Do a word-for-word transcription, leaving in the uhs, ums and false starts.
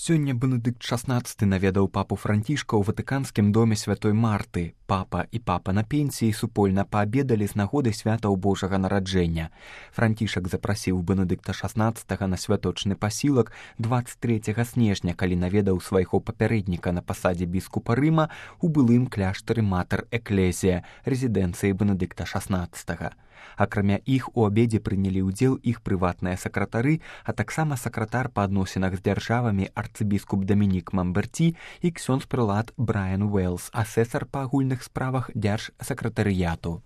Сёння Бенедыкт шаснаццаты наведаў папу Францішка ў ватыканскім доме святой Марты. Папа і папа на пенсіі супольна паабедалі з нагоды святаў Божага нараджэння. Францішак запрасіў Бенедыкта шаснаццатага на святочны пасілак дваццаць трэцяга снежня, калі наведаў свайго папярэдніка на пасадзе біскупа Рыма у былым кляштары Матэр Экклезія, рэзідэнцыі Бенедыкта шаснаццатага. Акрамя іх у абедзе прынялі ўдзел іх прыватныя сакратары, а таксама сакратар па адносінах з дзяржавамі арцыбіскуп Дамінік Мамберці і ксёндз-прылад Брайан Уэллс, асэсар па агульных справах дзяржсакратарыяту.